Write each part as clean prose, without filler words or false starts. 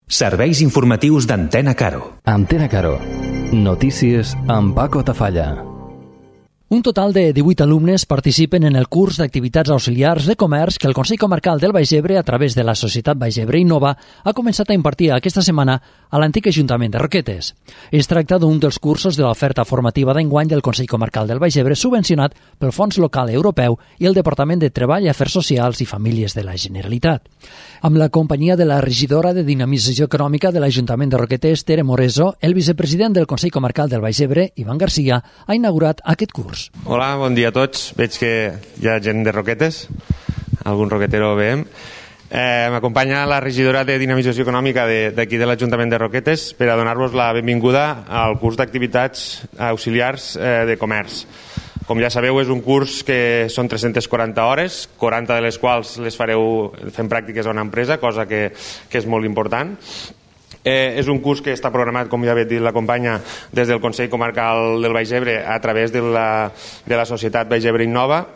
Serveis informatius d'Antena Caro. Antena Caro. Notícies amb Paco Tafalla. Un total de 18 alumnes participen en el curs d'activitats auxiliars de comerç que el Consell Comarcal del Baix Ebre, a través de la Societat Baix Ebre Innova, ha començat a impartir aquesta setmana a l'antic Ajuntament de Roquetes. Es tracta d'un dels cursos de l'oferta formativa d'enguany del Consell Comarcal del Baix Ebre, subvencionat pel Fons Local Europeu i el Departament de Treball, Afers Socials i Famílies de la Generalitat. Amb la companyia de la regidora de Dinamització Econòmica de l'Ajuntament de Roquetes, Tere Moreso, el vicepresident del Consell Comarcal del Baix Ebre, Ivan Garcia, ha inaugurat aquest curs. Hola, bon dia a tots. Veig que hi ha gent de Roquetes, algun roquetero veiem. M'acompanya la regidora de Dinamització Econòmica d'aquí de l'Ajuntament de Roquetes per a donar-vos la benvinguda al curs d'activitats auxiliars de comerç. Com ja sabeu, és un curs que són 340 hores, 40 de les quals les fareu fent pràctiques a una empresa, cosa que és molt important. És un curs que està programat, com ja ha dit la companya, des del Consell Comarcal del Baix Ebre a través de la Societat Baix Ebre Innova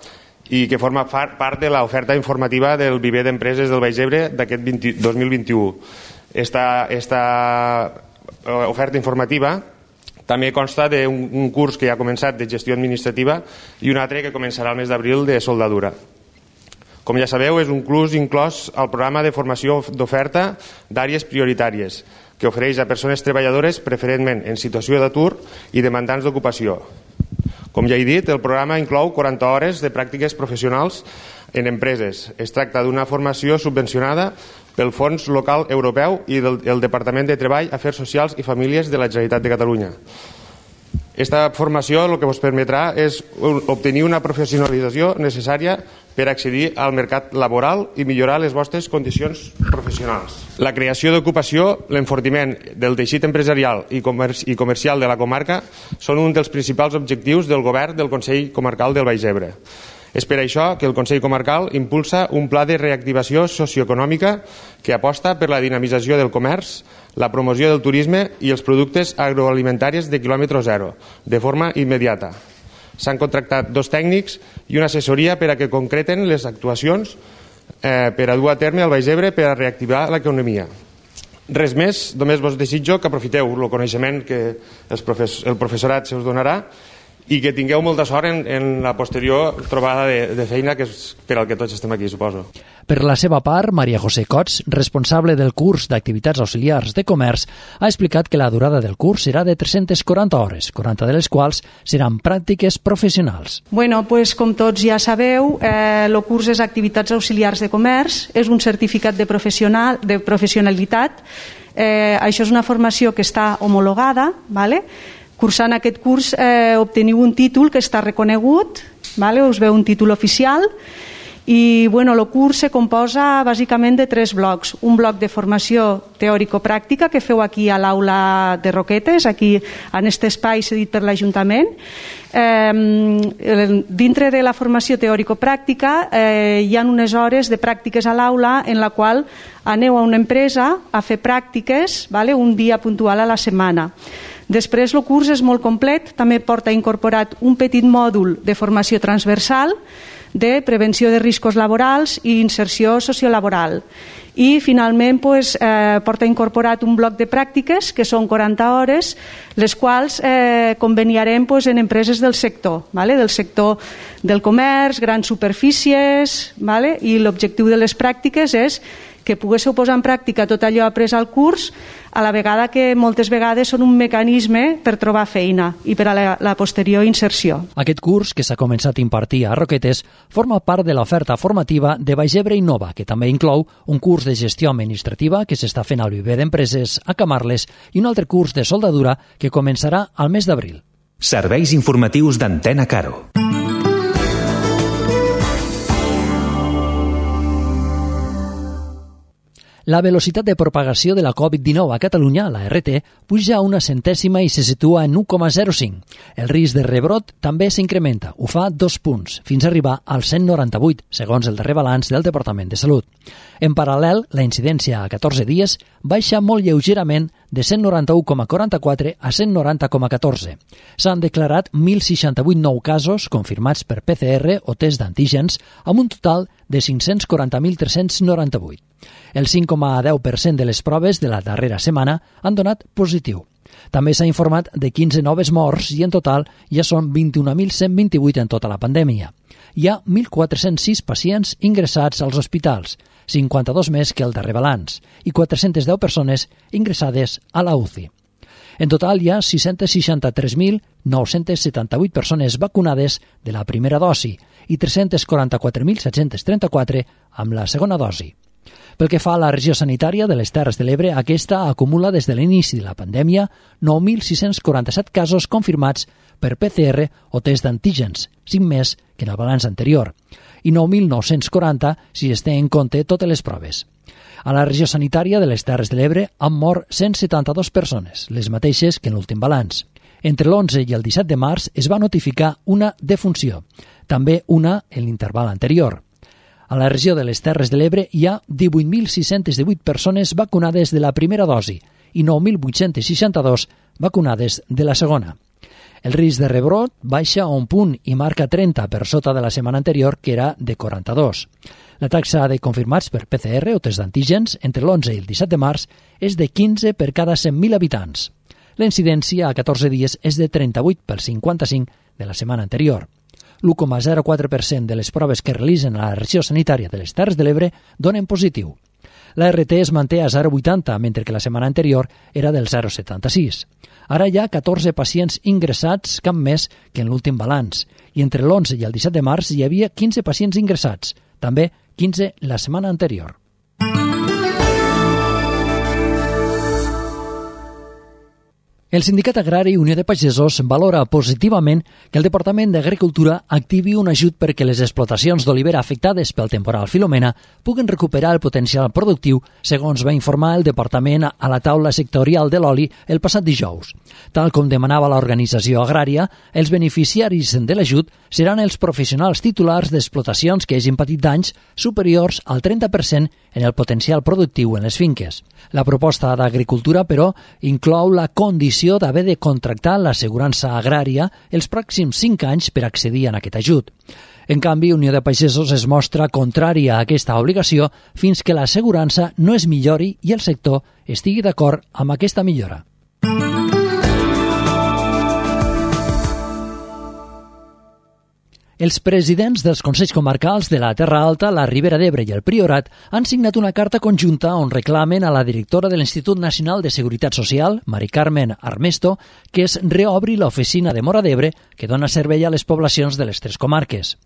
i que forma part de l'oferta informativa del viver d'empreses del Baix Ebre d'aquest 2021. Esta oferta informativa també consta d'un curs que ja ha començat de gestió administrativa i un altre que començarà el mes d'abril de soldadura. Com ja sabeu, és un curs inclòs al programa de formació d'oferta d'àrees prioritàries que ofereix a persones treballadores preferentment en situació d'atur i demandants d'ocupació. Com ja he dit, el programa inclou 40 hores de pràctiques professionals en empreses. Es tracta d'una formació subvencionada pel Fons Local Europeu i del Departament de Treball, Afers Socials i Famílies de la Generalitat de Catalunya. Esta formació el que us permetrà és obtenir una professionalització necessària per accedir al mercat laboral i millorar les vostres condicions professionals. La creació d'ocupació, l'enfortiment del teixit empresarial i comercial de la comarca són un dels principals objectius del govern del Consell Comarcal del Baix Ebre. És per això que el Consell Comarcal impulsa un pla de reactivació socioeconòmica que aposta per la dinamització del comerç, la promoció del turisme i els productes agroalimentaris de quilòmetre zero, de forma immediata. S'han contractat 2 tècnics i una assessoria per a que concreten les actuacions per a dur a terme al Baix Ebre per a reactivar l'economia. Res més, només vos desitjo que aprofiteu el coneixement que el professorat se us donarà i que tingueu molta sort en la posterior trobada de feina, que és per al que tots estem aquí, suposo. Per la seva part, Maria José Cots, responsable del curs d'activitats auxiliars de comerç, ha explicat que la durada del curs serà de 340 hores, 40 de les quals seran pràctiques professionals. Bueno, pues, com tots ja sabeu, el curs és activitats auxiliars de comerç, és un certificat de professionalitat. Això és una formació que està homologada, ¿vale? Cursant aquest curs obteniu un títol que està reconegut, ¿vale? Us veu un títol oficial i bueno, el curs se composa bàsicament de 3 blocs. Un bloc de formació teòrico-pràctica que feu aquí a l'aula de Roquetes, aquí en aquest espai cedit per l'Ajuntament. Dintre de la formació teòrico-pràctica hi ha unes hores de pràctiques a l'aula en la qual aneu a una empresa a fer pràctiques, ¿vale? Un dia puntual a la setmana. Després el curs és molt complet, també porta incorporat un petit mòdul de formació transversal de prevenció de riscos laborals i inserció sociolaboral. I finalment porta incorporat un bloc de pràctiques que són 40 hores, les quals conveniarem en empreses del sector, del sector del comerç, grans superfícies, i l'objectiu de les pràctiques és que poguéssiu posar en pràctica tot allò après al curs, a la vegada que moltes vegades són un mecanisme per trobar feina i per a la posterior inserció. Aquest curs, que s'ha començat a impartir a Roquetes, forma part de l'oferta formativa de Baix Ebre Innova, que també inclou un curs de gestió administrativa que s'està fent al viver d'empreses a Camarles i un altre curs de soldadura que començarà al mes d'abril. Serveis informatius d'Antena Caro. La velocitat de propagació de la Covid-19 a Catalunya, la RT, puja a 1 centèsima i se situa en 1,05. El risc de rebrot també s'incrementa, ho fa 2 punts, fins a arribar al 198, segons el darrer balanç del Departament de Salut. En paral·lel, la incidència a 14 dies baixa molt lleugerament de 191,44 a 190,14. S'han declarat 1.068 nous casos confirmats per PCR o test d'antígens, amb un total de 540.398. El 5,10% de les proves de la darrera setmana han donat positiu. També s'ha informat de 15 noves morts i en total ja són 21.128 en tota la pandèmia. Hi ha 1.406 pacients ingressats als hospitals, 52 més que el darrer balanç, i 410 persones ingressades a la UCI. En total hi ha 663.978 persones vacunades de la primera dosi i 344.734 amb la segona dosi. Pel que fa a la regió sanitària de les Terres de l'Ebre, aquesta acumula des de l'inici de la pandèmia 9.647 casos confirmats per PCR o test d'antígens, 5 més que en el balanç anterior, i 9.940 si es té en compte totes les proves. A la regió sanitària de les Terres de l'Ebre han mort 172 persones, les mateixes que en l'últim balanç. Entre l'11 i el 17 de març es va notificar una defunció, també una en l'interval anterior. A la regió de les Terres de l'Ebre hi ha 18.618 persones vacunades de la primera dosi i 9.862 vacunades de la segona. El risc de rebrot baixa a un punt i marca 30 per sota de la setmana anterior, que era de 42. La taxa de confirmats per PCR o test d'antígens entre l'11 i el 17 de març és de 15 per cada 100.000 habitants. La incidència a 14 dies és de 38 per 55 de la setmana anterior. L'1,04% de les proves que realitzen a la regió sanitària de les Terres de l'Ebre donen positiu. La RT es manté a 0,80, mentre que la setmana anterior era del 0,76. Ara hi ha 14 pacients ingressats, cap més que en l'últim balanç, i entre l'11 i el 17 de març hi havia 15 pacients ingressats, també 15 la setmana anterior. El Sindicat Agrari Unió de Pagesos valora positivament que el Departament d'Agricultura activi un ajut perquè les explotacions d'olivera afectades pel temporal Filomena puguen recuperar el potencial productiu, segons va informar el Departament a la taula sectorial de l'oli el passat dijous. Tal com demanava l'organització agrària, els beneficiaris de l'ajut seran els professionals titulars d'explotacions que hagin patit danys superiors al 30% en el potencial productiu en les finques. La proposta d'Agricultura, però, inclou la condició d'haver de contractar l'assegurança agrària els pròxims 5 anys per accedir a aquest ajut. En canvi, Unió de Pagesos es mostra contrària a aquesta obligació fins que l'assegurança no es millori i el sector estigui d'acord amb aquesta millora. Els presidents dels Consells Comarcals de la Terra Alta, la Ribera d'Ebre i el Priorat han signat una carta conjunta on reclamen a la directora de l'Institut Nacional de Seguretat Social, Mari Carmen Armesto, que es reobri l'oficina de Móra d'Ebre que dona servei a les poblacions de les 3 comarques.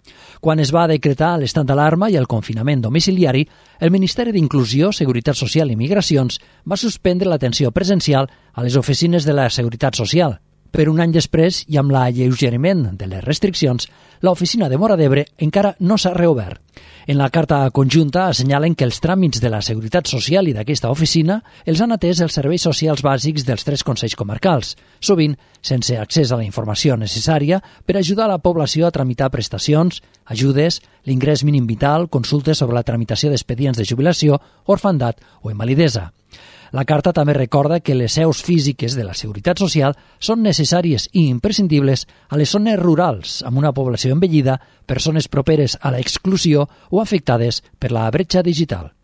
Quan es va decretar l'estat d'alarma i el confinament domiciliari, el Ministeri d'Inclusió, Seguretat Social i Migracions va suspendre l'atenció presencial a les oficines de la Seguretat Social. Per un any després, i amb l'alleugeriment de les restriccions, l'oficina de Móra d'Ebre encara no s'ha reobert. En la carta conjunta assenyalen que els tràmits de la Seguretat Social i d'aquesta oficina els han atès els serveis socials bàsics dels 3 consells comarcals, sovint sense accés a la informació necessària per ajudar a la població a tramitar prestacions, ajudes, l'ingrés mínim vital, consultes sobre la tramitació d'expedients de jubilació, orfandat o invalidesa. La carta també recorda que les seus físiques de la Seguretat Social són necessàries i imprescindibles a les zones rurals, amb una població envellida, persones properes a l'exclusió o afectades per la bretxa digital.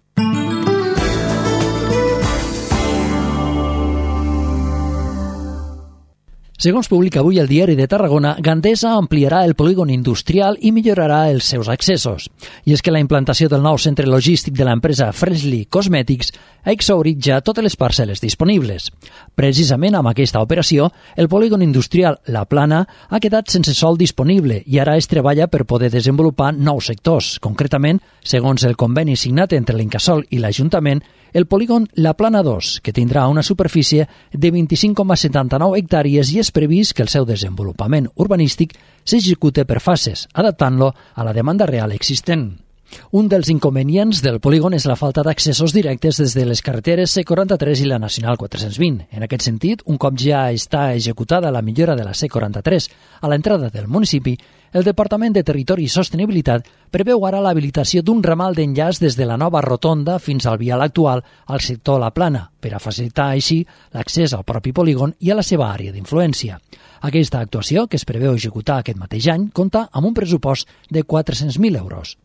Segons publica avui el Diari de Tarragona, Gandesa ampliarà el polígon industrial i millorarà els seus accessos. I és que la implantació del nou centre logístic de l'empresa Freshly Cosmetics ha exhaurit ja totes les parcel·les disponibles. Precisament amb aquesta operació, el polígon industrial La Plana ha quedat sense sòl disponible i ara es treballa per poder desenvolupar nous sectors. Concretament, segons el conveni signat entre l'Incasòl i l'Ajuntament, el polígon La Plana 2, que tindrà una superfície de 25,79 hectàrees i és previst que el seu desenvolupament urbanístic s'execute per fases, adaptant-lo a la demanda real existent. Un dels inconvenients del polígon és la falta d'accessos directes des de les carreteres C43 i la Nacional 420. En aquest sentit, un cop ja està executada la millora de la C43 a l'entrada del municipi, El Departament de Territori i Sostenibilitat preveu ara l'habilitació d'un ramal d'enllaç des de la nova rotonda fins al vial actual al sector La Plana, per a facilitar així l'accés al propi polígon i a la seva àrea d'influència. Aquesta actuació, que es preveu executar aquest mateix any, compta amb un pressupost de 400.000 euros.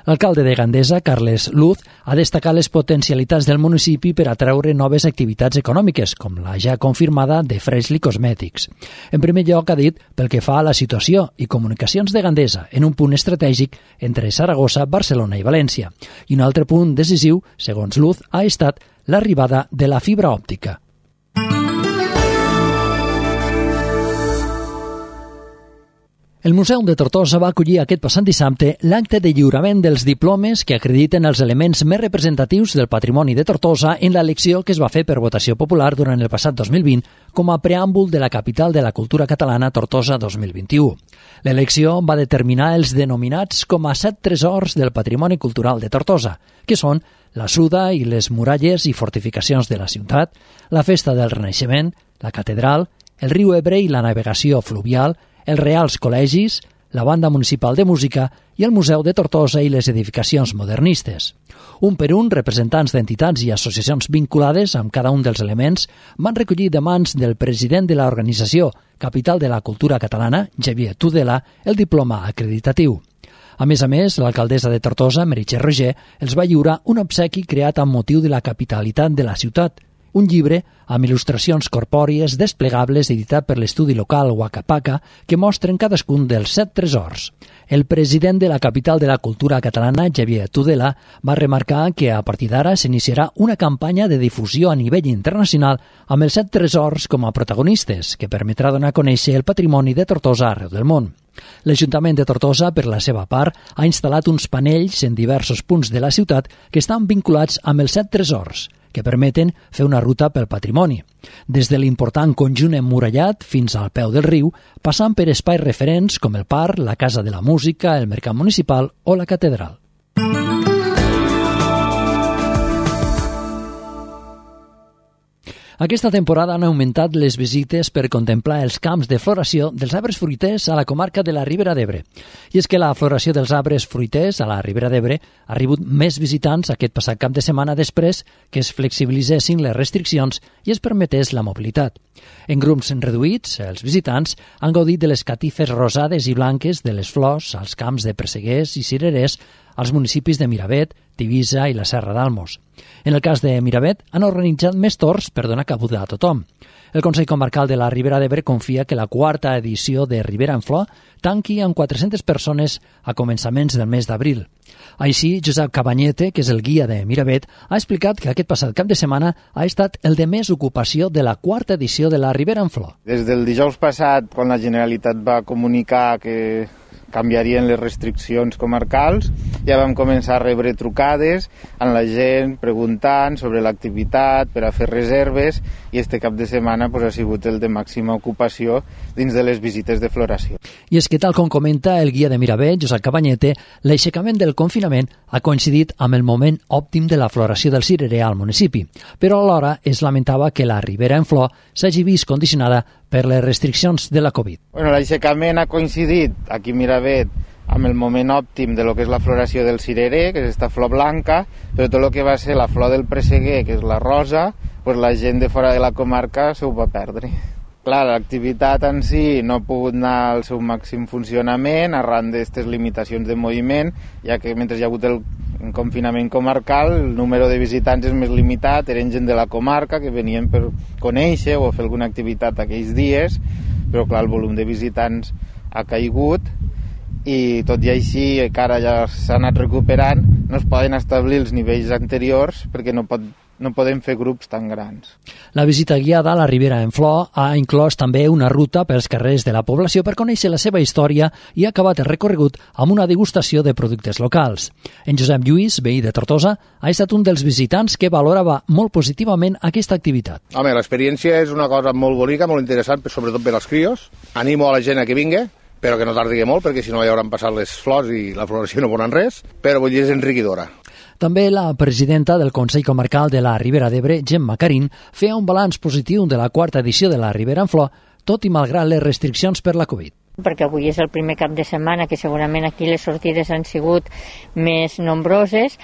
L'alcalde de Gandesa, Carles Luz, ha destacat les potencialitats del municipi per atraure noves activitats econòmiques, com la ja confirmada de Freshly Cosmetics. En primer lloc, ha dit, pel que fa a la situació i comunicacions de Gandesa, en un punt estratègic entre Saragossa, Barcelona i València. I un altre punt decisiu, segons Luz, ha estat l'arribada de la fibra òptica. El Museu de Tortosa va acollir aquest passat dissabte l'acte de lliurament dels diplomes que acrediten els elements més representatius del patrimoni de Tortosa en l'elecció que es va fer per votació popular durant el passat 2020 com a preàmbul de la capital de la cultura catalana Tortosa 2021. L'elecció va determinar els denominats com a 7 tresors del patrimoni cultural de Tortosa, que són la Suda i les muralles i fortificacions de la ciutat, la Festa del Renaixement, la Catedral, el riu Ebre i la navegació fluvial, els Reals Col·legis, la Banda Municipal de Música i el Museu de Tortosa i les edificacions modernistes. Un per un, representants d'entitats i associacions vinculades amb cada un dels elements van recollir de mans del president de l'organització Capital de la Cultura Catalana, Xavier Tudela, el diploma acreditatiu. A més, l'alcaldessa de Tortosa, Meritxell Roger, els va lliurar un obsequi creat amb motiu de la capitalitat de la ciutat, un llibre amb il·lustracions corpòries desplegables editat per l'estudi local Wakapaca que mostren cadascun dels 7 tresors. El president de la capital de la cultura catalana, Xavier Tudela, va remarcar que a partir d'ara s'iniciarà una campanya de difusió a nivell internacional amb els 7 tresors com a protagonistes, que permetrà donar a conèixer el patrimoni de Tortosa arreu del món. L'Ajuntament de Tortosa, per la seva part, ha instal·lat uns panells en diversos punts de la ciutat que estan vinculats amb els 7 tresors, que permeten fer una ruta pel patrimoni, des de l'important conjunt emmurallat fins al peu del riu, passant per espais referents com el parc, la Casa de la Música, el Mercat Municipal o la Catedral. Aquesta temporada han augmentat les visites per contemplar els camps de floració dels arbres fruiters a la comarca de la Ribera d'Ebre. I és que la floració dels arbres fruiters a la Ribera d'Ebre ha rebut més visitants aquest passat cap de setmana després que es flexibilitzessin les restriccions i es permetés la mobilitat. En grups reduïts, els visitants han gaudit de les catifes rosades i blanques de les flors als camps de presseguers i cirerers als municipis de Miravet, Tivissa i la Serra d'Almos. En el cas de Miravet, han organitzat més torns per donar cabuda a tothom. El Consell Comarcal de la Ribera d'Ebre confia que la 4ª edició de Ribera en Flor tanqui amb 400 persones a començaments del mes d'abril. Així, Josep Cabanyete, que és el guia de Miravet, ha explicat que aquest passat cap de setmana ha estat el de més ocupació de la 4ª edició de la Ribera en Flor. Des del dijous passat, quan la Generalitat va comunicar que canviarien les restriccions comarcals, ja vam començar a rebre trucades amb la gent preguntant sobre l'activitat per a fer reserves i este cap de setmana ha sigut el de màxima ocupació dins de les visites de floració. I és que, tal com comenta el guia de Miravet, Josep Cabanyete, l'aixecament del confinament ha coincidit amb el moment òptim de la floració del cirerer al municipi, però alhora es lamentava que la Ribera en Flor s'hagi vist condicionada per les restriccions de la Covid. L'aixecament ha coincidit aquí a Miravet amb el moment òptim de lo que és la floració del cirerer, que és aquesta flor blanca, però tot el que va ser la flor del presseguer, que és la rosa, la gent de fora de la comarca se ho va perdre. Clar, l'activitat en si no ha pogut anar al seu màxim funcionament arran d'aquestes limitacions de moviment, ja que mentre hi ha hagut el confinament comarcal, el número de visitants és més limitat, eren gent de la comarca que venien per conèixer o fer alguna activitat aquells dies, però clar, el volum de visitants ha caigut i tot i així, que ara ja s'ha anat recuperant, no es poden establir els nivells anteriors perquè no podem fer grups tan grans. La visita guiada a la Ribera en Flor ha inclòs també una ruta pels carrers de la població per conèixer la seva història i ha acabat el recorregut amb una degustació de productes locals. En Josep Lluís, veí de Tortosa, ha estat un dels visitants que valorava molt positivament aquesta activitat. Home, l'experiència és una cosa molt bonica, molt interessant, sobretot per als crios. Animo a la gent a que vingui, però que no tardigui molt, perquè si no ja hauran passat les flors i la floració no ponen res, però vull dir, és enriquidora. També la presidenta del Consell Comarcal de la Ribera d'Ebre, Gemma Carín, feia un balanç positiu de la 4ª edició de la Ribera en Flor, tot i malgrat les restriccions per la Covid. perquè avui és el primer cap de setmana que segurament aquí les sortides han sigut més nombroses.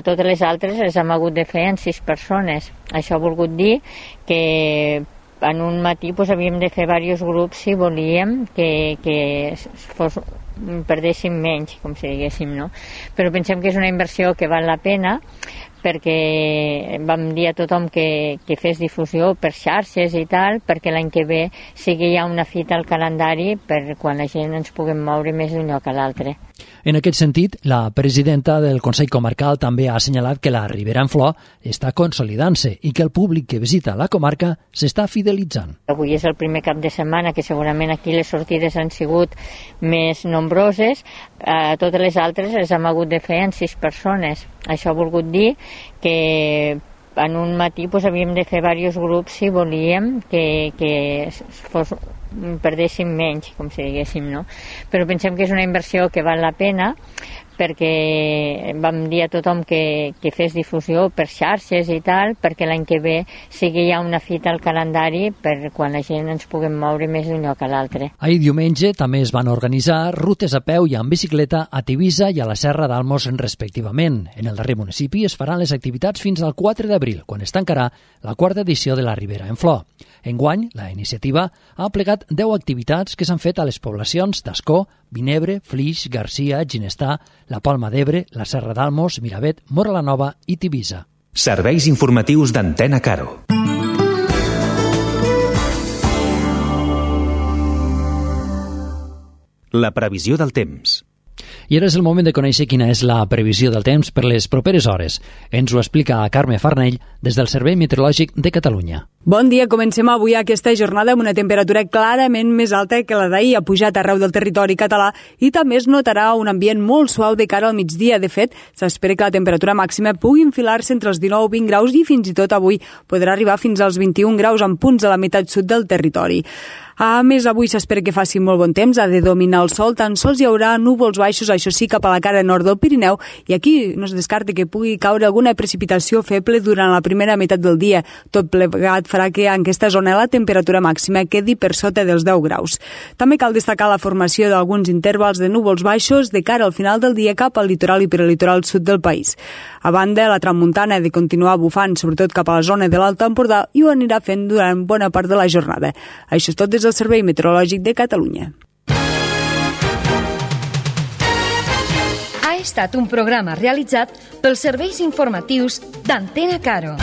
Totes les altres les hem hagut de fer en 6 persones. Això ha volgut dir que en un matí havíem de fer diversos grups si volíem que perdéssim menys, com si diguéssim, no? Però pensem que és una inversió que val la pena, perquè vam dir a tothom que fes difusió per xarxes i tal, perquè l'any que ve sigui ja una fita al calendari per quan la gent ens puguem moure més d'un lloc a l'altre. En aquest sentit, la presidenta del Consell Comarcal també ha assenyalat que la Ribera en Flor està consolidant-se i que el públic que visita la comarca s'està fidelitzant. Avui és el primer cap de setmana que segurament aquí les sortides han sigut més nombroses. Totes les altres les hem hagut de fer en 6 persones. Això ha volgut dir que en un matí havíem de fer diversos grups si volíem que perdéssim menys, com si diguéssim, no? Però pensem que és una inversió que val la pena, perquè vam dir a tothom que fes difusió per xarxes i tal, perquè l'any que ve sigui ja una fita al calendari per quan la gent ens puguem moure més d'un lloc a l'altre. Ahir diumenge també es van organitzar rutes a peu i en bicicleta a Tivissa i a la Serra d'Almos respectivament. En el darrer municipi es faran les activitats fins al 4 d'abril, quan es tancarà la 4ª edició de la Ribera en Flor. Enguany, la iniciativa ha plegat 10 activitats que s'han fet a les poblacions d'Ascó, Vinebre, Flix, Garcia, Ginestà, la Palma d'Ebre, la Serra d'Almos, Miravet, Móra la Nova i Tivissa. Serveis informatius d'Antena Caro. La previsió del temps. I ara és el moment de conèixer quina és la previsió del temps per les properes hores. Ens ho explica Carme Farnell des del Servei Meteorològic de Catalunya. Bon dia, comencem avui aquesta jornada amb una temperatura clarament més alta que la d'ahir. Ha pujat arreu del territori català i també es notarà un ambient molt suau de cara al migdia. De fet, s'espera que la temperatura màxima pugui enfilar-se entre els 19 i 20 graus i fins i tot avui podrà arribar fins als 21 graus en punts a la meitat sud del territori. A més, avui s'espera que faci molt bon temps, ha de dominar el sol, tan sols hi haurà núvols baixos, això sí, cap a la cara nord del Pirineu, i aquí no es descarta que pugui caure alguna precipitació feble durant la primera meitat del dia. Tot plegat farà que en aquesta zona la temperatura màxima quedi per sota dels 10 graus. També cal destacar la formació d'alguns intervals de núvols baixos de cara al final del dia cap al litoral i prelitoral sud del país. A banda, la tramuntana ha de continuar bufant, sobretot cap a la zona de l'Alt Empordà, i ho anirà fent durant bona part de la jornada. Això és tot des del Servei Meteorològic de Catalunya. Ha estat un programa realitzat pels serveis informatius d'Antena Caro.